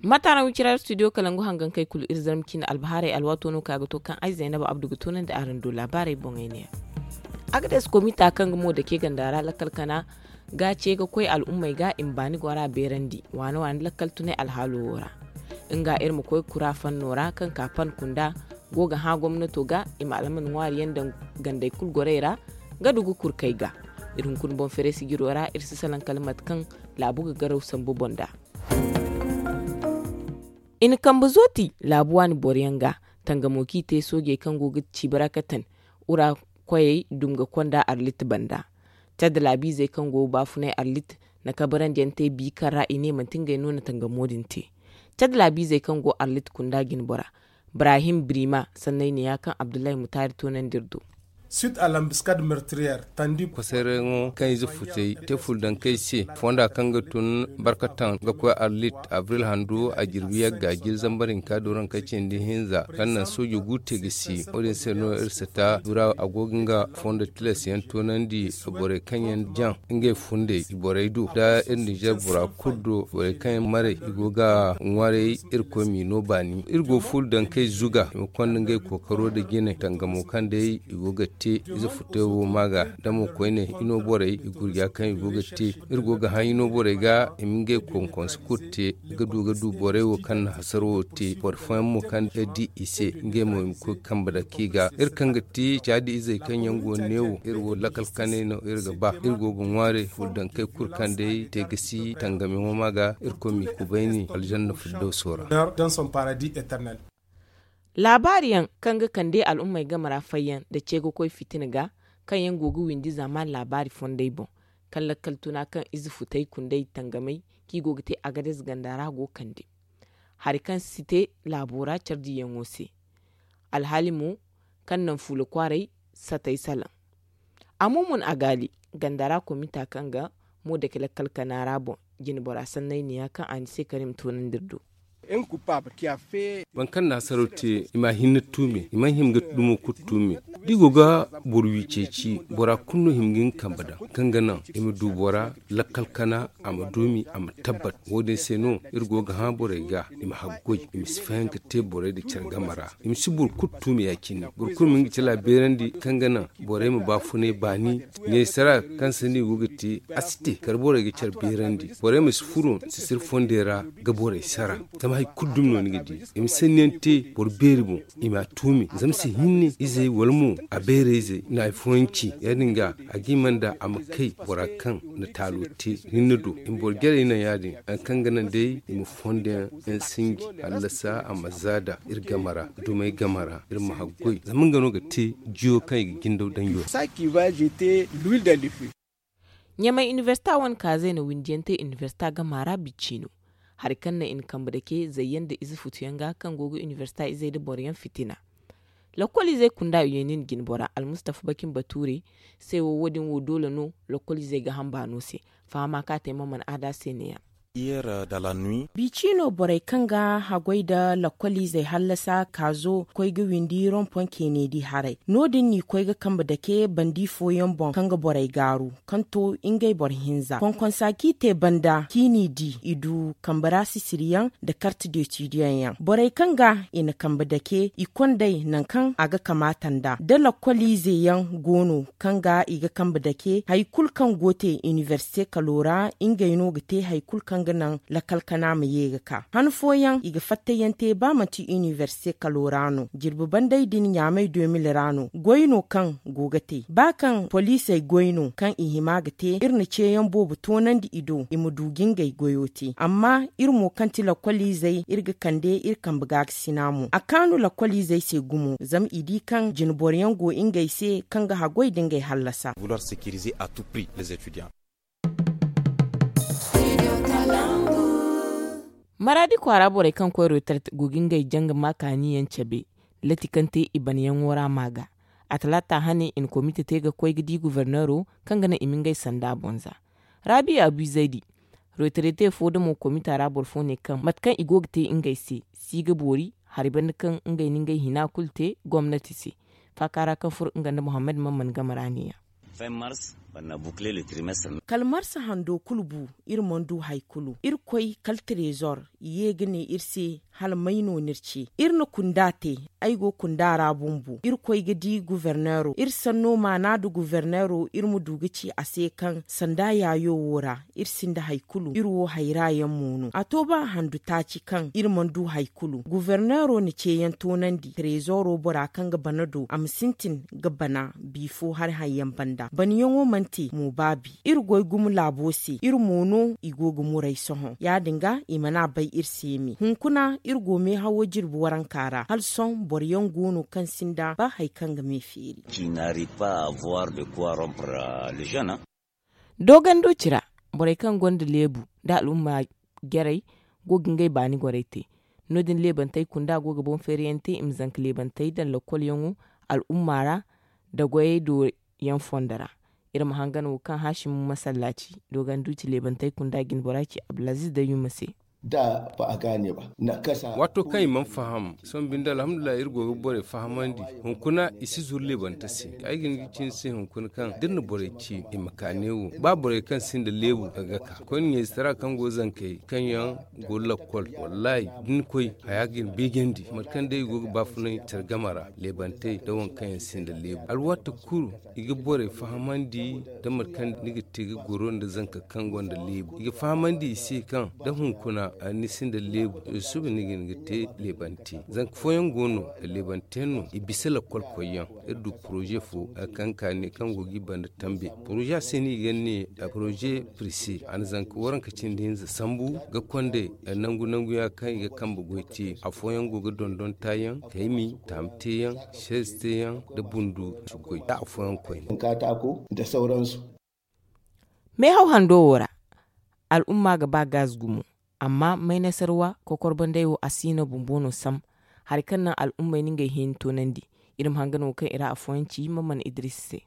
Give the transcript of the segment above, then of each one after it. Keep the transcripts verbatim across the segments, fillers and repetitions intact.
Mataaraŋ wicira studio kalangu hangankey kulu iri zarma cine albahaarey alwaato no kaŋ a ga to kaŋ ay zaynaba abdu ga toonandi araŋ do laabaarey boŋey ne. Agades komita kaŋ ga mo dake ganda ra lakkal kana ga ce ga koy al'ummey ga i ma baani gora beerandi waane waane lakkal tunay alhaalo wo ra. Nga iri ma koy kura fanno ra kaŋ ka pan kunda go ga hã gomnato ga i ma alman ŋwaari yaŋ daŋ gandey kulu gorey ra ga du ga kurkey ga. Iri hunkuna boŋ fereesi jiro ra iri si salaŋ kala mate kaŋ laabu ga garaw sambu boŋ da. I na kambe zooti laabu waani boro yaŋ ga tangamo kaŋ i te soojey kaŋ go ga ciibi ra katan ura koyey dum ga konda arlit banda. Cadda laabiizey kaŋ go ga baafunay arlit na kabarandi yaŋ te bi kaŋ ra i ne manti ngey no na tangamo din te. Cadda laabiizey kaŋ go arlit kunda jine bora brahim brima sanney ne ya kaŋ abdullahi mutaari toonandi iri do. Kwasayrayaŋo kaŋ ize futey te fuldankey se fonda kaŋ ga tun barkataŋ ga koy arlit abril handu a jirbi yagga jiri zambar hinka dooraŋ kaŋ cindi hinza kaŋ naŋ soojo gu te ga si wo- din se no iri sata dura a go ga nga fondo tilas yaŋ toonandi borey kaŋ yaŋ jaŋ ngey fundey i borey do da iri ninzeer bora kulu do borey kaŋ yaŋ maray i go ga ŋwaray. Irkoy m'i no baani iri go fuldankey zuga i ma konda ngey kookaro nda jine tangamo kaŋ day i go ga te ize futay wo ma ga da mo koyne i no borey i gurja kaŋ i go ga te. Iri go ga haŋ i no borey ga i ma ngey konkonse kulu te ga du ga du borey wo kaŋ na hasaro wo te boro fooyaŋ mo kaŋ ga di i se ngey mo i ma koy kambe dake i ga iri kaŋ ga ti caadi izey kaŋ yaŋ go neewo iri wo lakal kanay no iri ga ba iri go ga ŋwaare fuldankey kulu kaŋ day te ga si tangamiyaŋo ma ga irkoy m'i kubayni aljanna firdawso ra. Laabaari yaŋ kaŋ ga kande al'ummey game ra fayyaŋ nda ce ga koy fitina ga kaŋ yaŋ go ga windi zaamaani laabaari fondey boŋ kaŋ lakkal tuna kaŋ ize futey kundey tangamey kaŋ i go ga te agades ganda ra go kande hari kaŋ si te laabo ra care diyaŋo se. Alhaali mo kaŋ naŋ fuula kwaaray satay salaŋ. Amumun agaali ganda ra komita kaŋ ga mo dake lakkal kana ra boŋ jine bora sanney neeya kaŋ a ni se kar i ma toonandi iri do. Boro kaŋ na hasaraw te i ma hinne tuumi i mana hima ga dumo kulu tuumi. Da i go ga boro wi ceeci bora kulu no hima ga hin kambe daŋ kaŋ ga naŋ i ma du bora lakkal kana a ma duumi a ma tabbat. Wo- din se no iri go ga hã borey ga i ma haggoy i ma si fayanka te borey nda care game ra. I ma si boro kulu tuumi ya- cine boro kulu ma hin ga cala beerandi kaŋ ga naŋ borey ma baafunay baani. Neesara kaŋ sanni i go ga te a si te kala borey ga care beerandi borey ma si furo sisiri fondey ra ga borey sara. Zama hari kulu dumi no ni ga di i ma sanniyaŋ te boro beeri boŋ i m'a tuumi zama si hinne izey wala mo a beerayzey na hari fooyaŋ ci ya- din ga a ga hima nda a ma kay bora kaŋ na taalo te hinne do i ma boro jarey naŋ ya- din hari kaŋ ga naŋ day i ma fondoyaŋ yaŋ sinji hallasa a ma zaada iri game ra dumey game ra iri ma haggoy zama nga no ga te jiyo kaŋ i ga jindaw daŋ yo ra. Ɲamay inibersita wane kaazey na windiyaŋ te inibersita gama ra bicino hari kaŋ naŋ i na kambe dake zayyaŋ nda ize futuyaŋ ga kaŋ go ga inibersita izey nda boroyaŋ fitina. Lakkoliizey kunda yeenin jinbora almustafa bakin bature se wo wo- din wo doole no lakkoliizey ga hamba no se. Fahama kaŋ a te ma mana aada se neeya. Bici no borey kaŋ ga haggoy nda lakkoliizey hallasa kaazo koy ga windi rompoŋ keeneedi haray no- din n'i koy ga kambe dake bandi fooyaŋ boŋ kaŋ ga borey gaaru kaŋ to ngey boro hinza konkonsa kaŋ i te banda kaŋ i n'i di i du kambe ra sisiriyaŋ nda karte deetidiyaŋ yaŋ borey kaŋ ga i na kambe dake i kondey nangu kaŋ a ga kamaata nd'a da lakkoliize yaŋ go no kaŋ ga i ga kambe dake hari kulu kaŋ go te inibersite kalo ra ngey no ga te hari kulu kaŋ ga naŋ lakkal kana ma ye ga ka han fooyaŋ i ga fattayyaŋ te ba manti inibersite kalo ra no jirbi bandey din ɲaamey de mil ra no goy no kaŋ go ga te ba kaŋ poliisey goy no kaŋ i hima ga te iri na ceeyaŋ boobo toonandi i do i ma du ga ngey goyo te amma iri mo kaŋ ti lakkoliizey iri ga kande iri kambe ga ga sina mo a kaanu lakkoliizey se gumo zama i di kaŋ jinboroyaŋ go ngey se kaŋ ga haggoy nda ngey hallasa. Maraadi kwaara borey kaŋ koy retraite go ga ngey janga ma kaaniyaŋ cabe lati kaŋ te i banayaŋo ra ma ga a talaata hane i na komite te ga koy ga di goforneero kaŋ ga naŋ i ma ngey sanda boŋ za. Raabi abu zaydi retraite fo damo komita ra boro fo ne kaŋ mate kaŋ i go ga te ngey se si ga boori hari banda kaŋ ngey na ngey hina kulu te gomnati se. Faaka ra kaŋ furo nga nda muhammad mamman game ra neeya. Kala marsa hando kulu bu, iri mana du hari kulu. Irkoy kala trezor ye ga ne iri se, hala may no ni iri ce? Iri na kunda te. Ay go kunda ra bumbo. Irkoy ga di guverneero, iri sanno maana nda guverneero, iri ma du ga ci a se kaŋ sanda yaayo wo ra iri sinda hari kulu, iri wo hayra yaŋ mo no. A to ba handu taaci kaŋ iri mana du hari kulu. Guverneero na ceeyaŋ toonandi, trezoro bora kaŋ ga bana do, a ma sintin ga bana bifo hari haŋ yaŋ banda. Banayaŋo mana te mo baabi. Iri goy gumo laabo se, iri mo no i go ga muray sohõ. Ya- din ga i mana bay iri se me. Hunkuna iri go meehawo jirbi waranka ra, hala sohõ boro yaŋ go no kaŋ sinda ba hari kaŋ ga me feeri. Dooganduuci ra, borey kaŋ gonda leebu nda al'umma jarey go ga ngey baani gorey te. No- din leebantey kunda go ga boŋ feeriyaŋ te i ma zanka leebantey daŋ lakolyaŋo al'umma ra, nda goyey do yaŋ fondo ra. Iri ma hangan wo kaŋ haasimu masallaaci dooganduuci leebantey kunda jinbora ci abdulaziiz dayyuma se. Waato kaŋ i mana faham, sohõ binde alhamdulillahi iri go ga borey fahamandi. Hunkuna i si zuru leebante se. Ay ga hin ga ci ni se hunkuna kaŋ da iri na borey ci i ma ka neewo, ba borey kaŋ sinda leebu ga ka koyne ɲayzitara kaŋ go zankey kaŋ yaŋ go lakkol. Wallaahi da ni koy, haya ga ni beejandi mate kaŋ day i go ga baafunay care game ra, leebantey nda waŋ kaŋ yaŋ sinda leebu alwaati kulu. I ga borey fahamandi nda mate kaŋ ni ga te ga goro nda zanka kaŋ gonda leebu. I ga fahamandi i se kaŋ da hunkuna ni sinda leebu, suba ni ga hin ga te leebante. Zanka fooyaŋ go no, leebanteyaŋ no i bisa lakkol koyyaŋ. Iri du poroze fo kaŋ ka ne kaŋ go ga i banda tambe. Poroze a se no i ga ne poroze, pirse a na zanka waranka cindi hinza sambu ga konde nangu nangu ya kaŋ i ga kambe goy te. Afooyaŋ go ga dondon taayaŋ, kaymi, taami teeyaŋ, seezi teeyaŋ, nda bundu, nda afooyaŋ koyne. Meehaw hando wo ra, al'umma ga ba gaz gumo. Amma maynasarwa kokorbandey wo a si no bumbo no sam. Hari kaŋ naŋ al'ummey na ngey hẽeni toonandi. Iri ma hangan wo kaŋ i ra afooyaŋ ci maman idris se.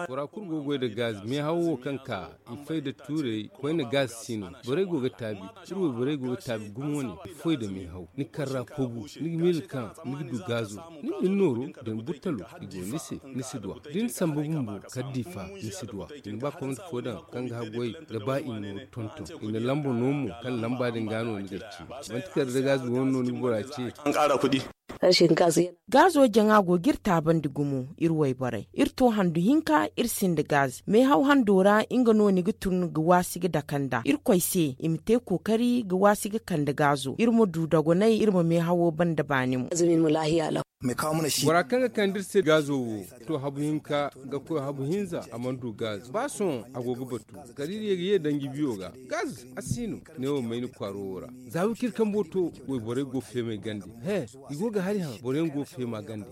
Bora kulu go ga goy nda gaz meehaw wo kaŋ ka i fay nda tuurey koyne gaz si no. Borey go ga taabi. Iri wayborey go ga taabi gumo ne. Foy nda meehaw ni karra kogu, ni ga miila kaŋ ni ga du gaazo. Ni ga ni nooro da ni burtalo, i go ni se, ni si duw'a. Da ni samba bumbo kala diifa, ni si duw'a. I na ba komante fo daŋ kaŋ ga haggoy ga ba i nooru tonton. I na lamba no mo kaŋ lamba din ga no ni ga ci. Manti kala da gaazo wane no ni ga bora ce. Gaazo jaŋa go ga iri taabandi gumo, iri wayborey iri to handu hinka iri sinda gaz meehaw hando ra. Nga no ni ga tun ga waasi ga dake nd'a irkoy se i ma te kookari ga waasi ga kande gaazo iri ma du dogonay iri ma meehawo banda baani mo. Bora kaŋ ga kande iri se gaazo wo to habu hinka ga koy habu hinza a mana du gaazo ba sohõ a go ga batu. Kala iri ye ga ye danji biyo ga gaz a si no. Neewo mayni kwaaro wo ra za wiciri kambo to wayborey go feemay gande. He, i go ga hari haŋ boroyaŋ go feema gande.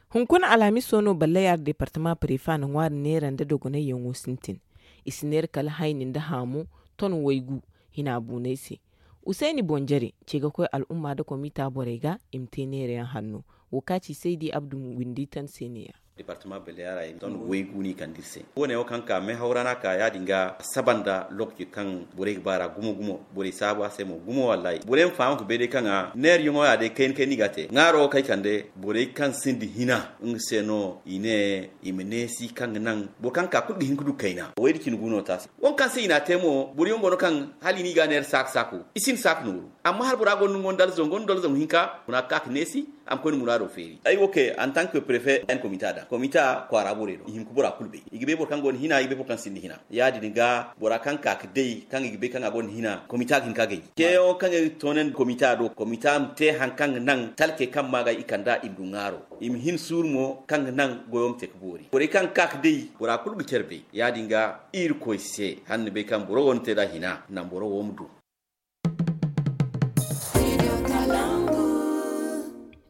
Hunkuna alhamiso no ballayaar deepartama prefa na ŋwaari neera nda dogonayyaŋo sintin. I si neera kala hayni nda haamu ton waygu hina buunay se. Usayni boŋ jare ce ga koy al'umma nda komita borey ga i ma te neerayaŋ hanno. Wo ka ci saydi abdu windi tan se neeya. Deepartama ballayaar ay ton waygu no i kande iri se. Wo- ne wo kaŋ ka meehaw ra no a ka ya- din ga saba nda lookaci kaŋ borey ga ba ra gumo gumo. Borey saabu a se mo gumo wallaahi borey ma faham ga bay day kaŋ a neerayaŋo ya day kayna kayna i ga a te ŋwaaro wo kaŋ ay kande borey kaŋ sinda hina. Nga se no i ne i ma neesi kaŋ ga naŋ boro kaŋ ka kulu ga hin ga du kayna wayda cine gu no te a se. Waŋ kaŋ se i n'a te mo boroyaŋ go no kaŋ hala i n'i ga neera saaka saako i sinda saaka nooru. Amma hala bora gonda nga wane dalzo nga wane dalzo hinka guna ga ka ga neesi. A ma koy na muraado feeri ay wo kay antank prefe yan komita daŋ komita kwaara borey do i hima ga bora kulu bay. I ga bay boro kaŋ gonda hina i ga bay boro kaŋ sinda hina. Ya- din ga bora kaŋ ka ga day kaŋ i ga bay kaŋ a gonda hina komita ga hin ka gay. Ceeyaŋo kaŋ ay ga toonandi komita do komita ma te hari kaŋ ga naŋ talkey kaŋ ma ga i kand'a i ma du ŋwaaro. I ma hin suuru mo kaŋ ga naŋ goyo ma te ga boori borey kaŋ ga ka ga day bora kulu ga care bay. Ya- din ga irkoy se hala ni bay kaŋ boro wo ni te nd'a hina naŋ boro wo ma du.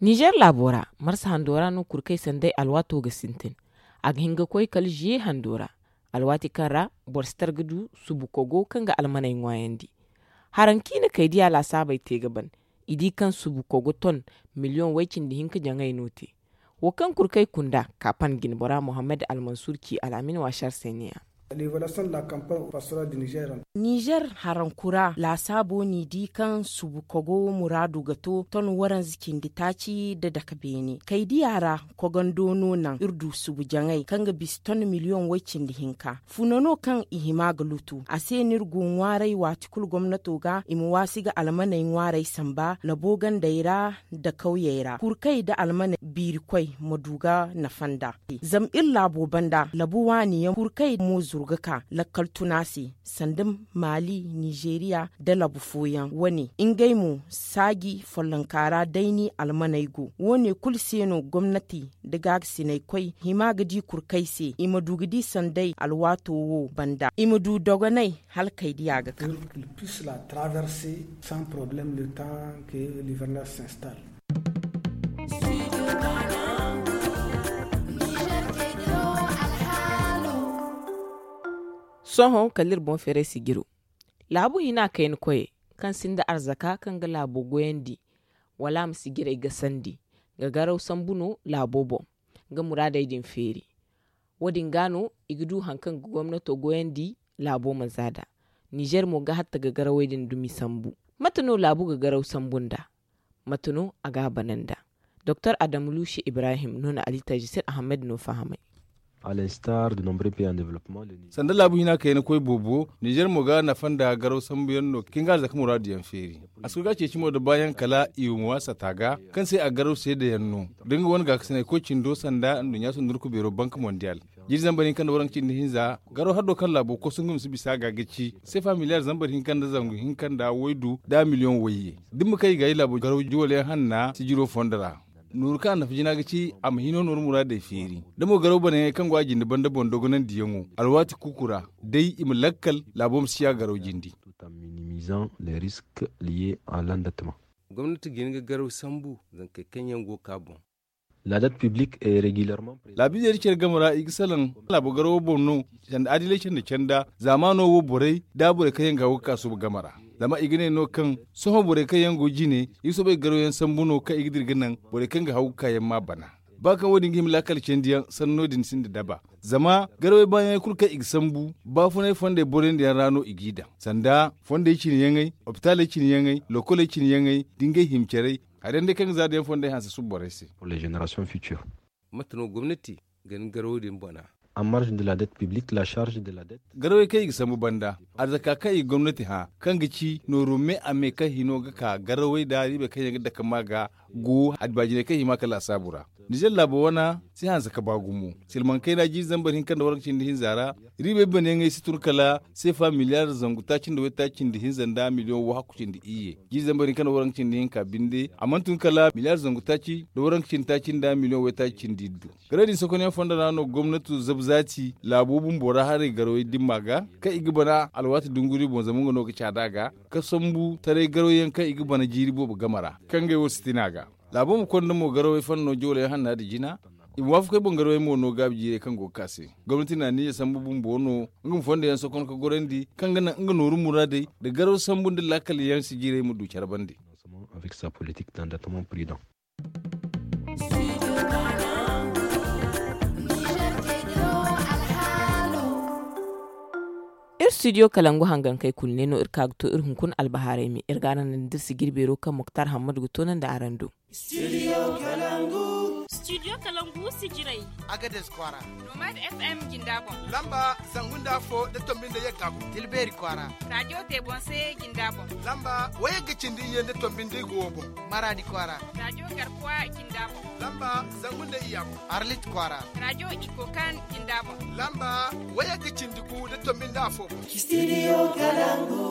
Ninzeer laabo ra marsa hando ra no kurkey sanday alwaato ga sintin. A ga hin ga koy kala ziye hando ra alwaati kaŋ ra boro si tar ga du subu kogo kaŋ ga almaney ŋwaayandi. Haraŋ kaŋ i na kaydiya laasaabey te ga ban i di kaŋ subu kogo ton miliyoŋ way-cindi hinka jaŋay no te. Wo kaŋ kurkey kunda kaapan jinbora muhammad almansur ci al'amin waasar se neeya. Nizer harankura laasaabo n'i di kaŋ subu kogo muraadu ga to ton waranza cindi taaci nda dake beene kaydiya ra. Kogando no naŋ iri du subu jaŋay kaŋ ga bisa ton miliyoŋ way-cindi hinka. Funa no kaŋ i hima ga lutu a se no iri go ŋwaaray waati kulu gomnato ga i ma waasi ga almaney ŋwaaray samba labo gandey ra nda kawyey ra kurkey nda almaney biirikoy ma du ga nafa nd'a. Zama iri laabo banda labu waani yaŋ kurkey mo zuru ga ka lakkal tuna se sanda maali nizeeriya nda labu fooyaŋ wane ngey mo saaji follonka ra day ni almaney go. Woone kulu se no gomnati nda gaagasinaykoy hima ga di kurkey se i ma du ga di sanday alwaato wo banda i ma du dogonay hala kaydiya ga ka. Sohõ kala iri boŋ feeray sijiro laabu hina kayna koyey kaŋ sinda arzaka kaŋ ga laabo goyandi wala a ma sijirey gasandi. Ga garaw sambu no laabo boŋ ga muraadey din feeri. Wo- din ga no i ga du hari kaŋ ga gomnato goyandi laabo ma za nd'a. Nizer mo ga hatta ga garawey din dumi sambu. Mate no laabu ga garaw sambu nd'a? Mate no a ga a bana nd'a? Doktor adamu luusi ibrahim no na ali tajisir ahamed no fahamay. Sanda laabu hina kayna koy boobo nizer mo ga nafa nda garaw sambuyaŋ no kaŋ ga arzaka muraadu yaŋ feeri. A si koy ga ceeci mo nda baayaŋ kala i ma waasa ta ga kaŋ se a garaw seedayaŋ no da nga wane gaakasinay koy cindo sanda nduɲɲa sundurku beero bank mondial. Jiiri zambar hinka nda waranka cindi hinza garaw haddo kaŋ laabo kosu nga ma si bisa ga ga ci sefa miliyar zambar hinka nda zangu hinka nda waydu nda miliyoŋ wayye. Da ni ma kay ga ay laabo garaw juwalyaŋ hanna sijiro fondo ra. Nooru kaŋ a nafa jina ga ci a ma hino nooru muraadey feeri. Da mo garaw banayaŋey kaŋ go a jinde banda boŋ dogonandiyaŋo alwaati kuuku ra day i ma lakkal laabo ma si ya garaw jindi. Gomnati ga hin ga garaw sambu zankey kaŋ yaŋ go ga ka boŋ. Laabiizey da care game ra i ga salaŋ laabo garawo boŋ no. Sanda adilay canda canda zaamaano wo borey da borey kaŋ yaŋ ga haw ga ka suuba game ra. Zama i ga ne no kaŋ sohõ borey kaŋ yaŋ go jine i ga soobay ga garaw yaŋ sambu no kaŋ i ga dira ga naŋ borey kaŋ ga haw ga ka yaŋ ma bana. Ba kaŋ wo- din ga hima laakal candiyaŋ sanno din sinda daba. Zama garawey baayaŋey kulu kaŋ i ga sambu baafunay fondey boroyandiyaŋ ra no i g'i daŋ sanda fondey cine yaŋey, opitaaley cine yaŋey, lokoley cine yaŋey, da ngey hima carey. Hari yaŋ day kaŋ ga za da yaŋ fondey hanse suba borey se. Mate no gomnati ga ni garawey din bana? Garawey kaŋ i ga sambu banda arzaka kaŋ i ga gomnati hã kaŋ ga ci nooru me a me kaŋ hino ga ka garawey nda riibey kaŋ yaŋ ga dake ma ga go addibaajiney kaŋ hima ka laasaabu ra. Nizer laabo wana si hanse ka ba gumo. Silmaŋ kayna jiiri zambar hinka nda waranka cindi hinza ra riibey banayaŋey si tun kala seefa miliyar zangu taaci nda waytaaci cindi hinza nda miliyoŋ wahakku cindi iyye. Jiiri zambar hinka nda waranka cindi hinka binde a mana tun kala miliyar zangu taaci nda waranka cindi taaci nda miliyoŋ waytaaci cindi iddu. Garay din sokonyaŋ fondo ra no gomnato zabu zaati laabo bumbo ra haray garawey dimma ga kaŋ i ga bana alwaati dunguri boŋ zama nga no ga caada ga ka sambu taray garawyaŋ kaŋ i ga bana jiiri boobo game ra kaŋ ngey wo si tin a ga. Laabo ma konda mo garawey fanno joolayaŋ hanna nda jina. I ma waafakoy boŋ garawey mo no gaabi jiirey kaŋ go ga ka se. Gomnati na niiya sambu bumbo no nga ma fondo yaŋ sokon ka gorandi kaŋ ga naŋ nga nooru muraadey nda garaw sambu nda laakal yaŋ si jiirey ma du care bande. Iri studio kalangu hangankey kulu ne no iri ka ga to iri hunkuna albahaarey me iri ga araŋ naŋ da iri si jirbeero kaŋ muktar hammadu ga toonandi araŋ do. Studio kalangu sijirey. Agades kwaara. Nomad fm jinda boŋ. Lamba zangu nda afo da tombi nda yagga boŋ. Tilbeeri kwaara. Raajo teebonse jinda boŋ. Lamba wayagga cindi iyye nda tombi nda igo wo boŋ. Maraadi kwaara. Raajo garkuwa jinda boŋ. Lamba zangu nda iyya boŋ. Arlit kwaara. Raajo ikokan jinda boŋ. Lamba wayagga cindi gu nda tombi nda afo boŋ. Studio kalangu.